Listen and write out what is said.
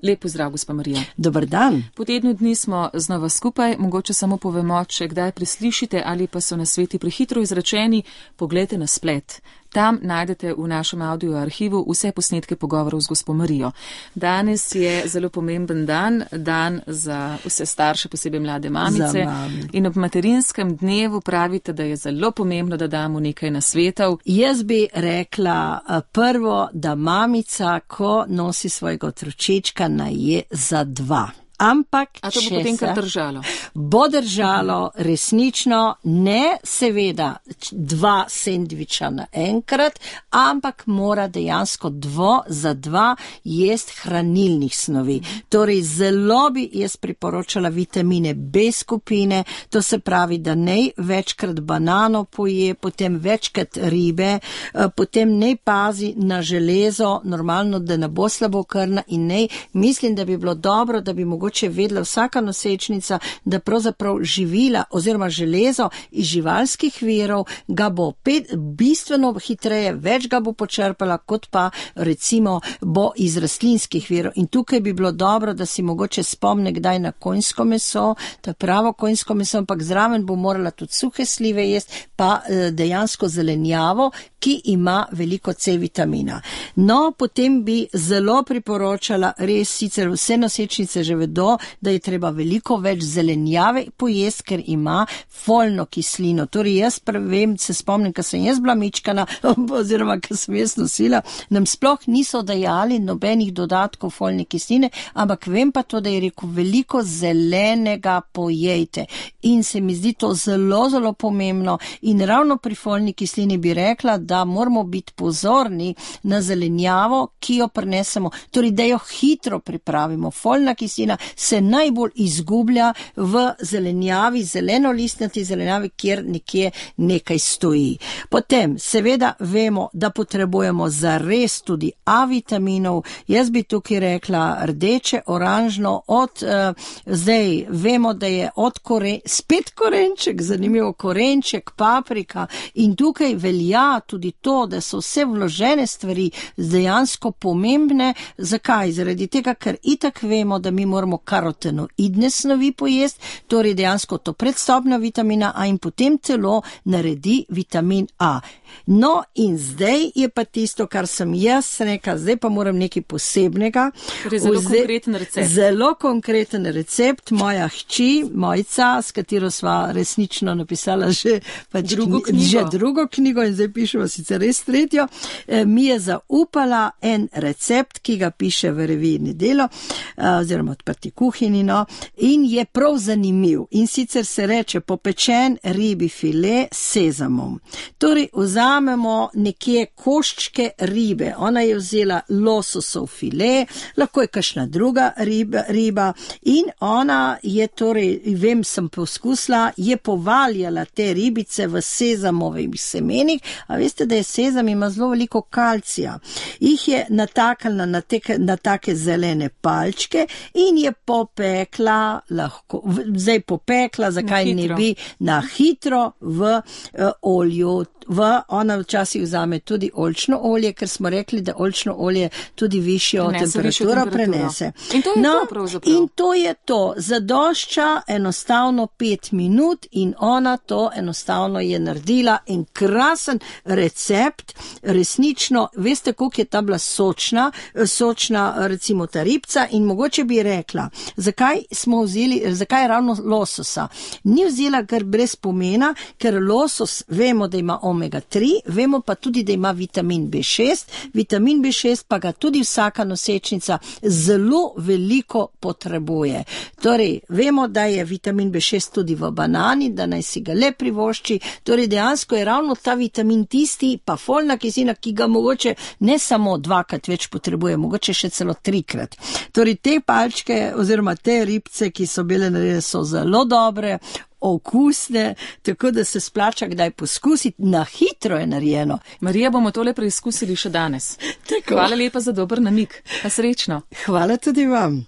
Lep pozdrav, gospa Marija. Dober dan. Po tednu dni smo znova skupaj, mogoče samo povemo, če kdaj preslišite ali pa so nasveti prehitro izrečeni, poglejte na splet. Tam najdete v našem audio arhivu vse posnetke pogovorov z gospo Marijo. Danes je zelo pomemben dan za vse starše, posebej mlade mamice. In ob materinskem dnevu pravite, da je zelo pomembno, da damo nekaj nasvetov. Jaz bi rekla prvo, da mamica, ko nosi svojega otročička, naj je za 2. Ampak, a to bo potem kar držalo? Bo držalo, resnično, ne seveda 2 sendviča naenkrat, ampak mora dejansko za 2 jest hranilnih snovi. Torej, zelo bi jaz priporočala vitamine B skupine, to se pravi, da nej večkrat banano poje, potem večkrat ribe, potem nej pazi na železo, normalno, da ne bo slabokrvna in nej, mislim, da bi bilo dobro, da bi mogoče vedela vsaka nosečnica, da pravzaprav živila oziroma železo iz živalskih virov ga bo bistveno hitreje, več ga bo počrpala, kot pa recimo bo iz rastlinskih virov. In tukaj bi bilo dobro, da si mogoče spomne kdaj na konjsko meso, ta pravo konjsko meso, ampak zraven bo morala tudi suhe slive jesti, pa dejansko zelenjavo, ki ima veliko C vitamina. No, potem bi zelo priporočala, res sicer vse nosečnice že vedo, da je treba veliko več zelenjave pojesti, ker ima folno kislino. Torej jaz vem, se spomnim, ko sem jaz bila mičkana, oziroma ko sem jaz nosila, nam sploh niso dajali nobenih dodatkov folne kisline, ampak vem pa to, da je rekel, veliko zelenega pojejte. In se mi zdi to zelo, zelo pomembno. In ravno pri folni kislini bi rekla, da moramo biti pozorni na zelenjavo, ki jo prinesemo, torej da jo hitro pripravimo. Folna kislina se najbolj izgublja v zelenjavi, zelenolistnati zelenjavi, kjer nekje nekaj stoji. Potem, seveda vemo, da potrebujemo zares tudi A vitaminov. Jaz bi tukaj rekla rdeče, oranžno, zdaj vemo, da je spet korenček, zanimivo korenček, paprika in tukaj velja tudi to, da so vse vložene stvari dejansko pomembne. Zakaj? Zaradi tega, ker itak vemo, da mi moramo karotenoidne snovi pojesti, torej dejansko to predstopnja vitamina A in potem telo naredi vitamin A. No in zdaj je pa tisto, kar sem jaz rekla, zdaj pa moram nekaj posebnega. Zelo konkreten recept. Zelo konkreten recept. Moja hči, Mojca, s katero sva resnično napisala že drugo knjigo in zdaj pišemo sicer res 3, mi je zaupala en recept, ki ga piše v reviji Nedelo, oziroma Odprti kuhinji, no, in je prav zanimiv. In sicer se reče popečen ribi file s sezamom. Torej, vzamemo nekje koščke ribe. Ona je vzela lososov file, lahko je kakšna druga riba in ona je torej, vem, sem poskusila, je povaljala te ribice v sezamovih semenih, a veste, da je sezam ima zelo veliko kalcija. Jih je natakala na take zelene palčke in je popekla, zakaj ne bi, na hitro v olju. Ona včasih vzame tudi oljčno olje, ker smo rekli, da oljčno olje tudi višjo temperaturo prenese. In to je to pravzaprav. In to je to. Zadošča enostavno 5 minut in ona to enostavno je naredila in krasen recept. Resnično, veste, koliko je ta bila sočna recimo ta ribca in mogoče bi rekla, zakaj ravno lososa? Ni vzela kar brez pomena, ker losos vemo, da ima omega 3, vemo pa tudi, da ima vitamin B6. Vitamin B6 pa ga tudi vsaka nosečnica zelo veliko potrebuje. Torej, vemo, da je vitamin B6 tudi v banani, da naj si ga le privošči. Torej, dejansko je ravno ta vitamin tisti, pa folna kislina, ki ga mogoče ne samo 2-krat več potrebuje, mogoče še celo 3-krat. Torej, te palčke oziroma te ribce, ki so bile narejene, so zelo dobre, okusne, tako da se splača kdaj poskusiti, na hitro je narejeno. Marija, bomo tole preizkusili še danes. Tako. Hvala lepa za dober namig. Pa srečno. Hvala tudi vam.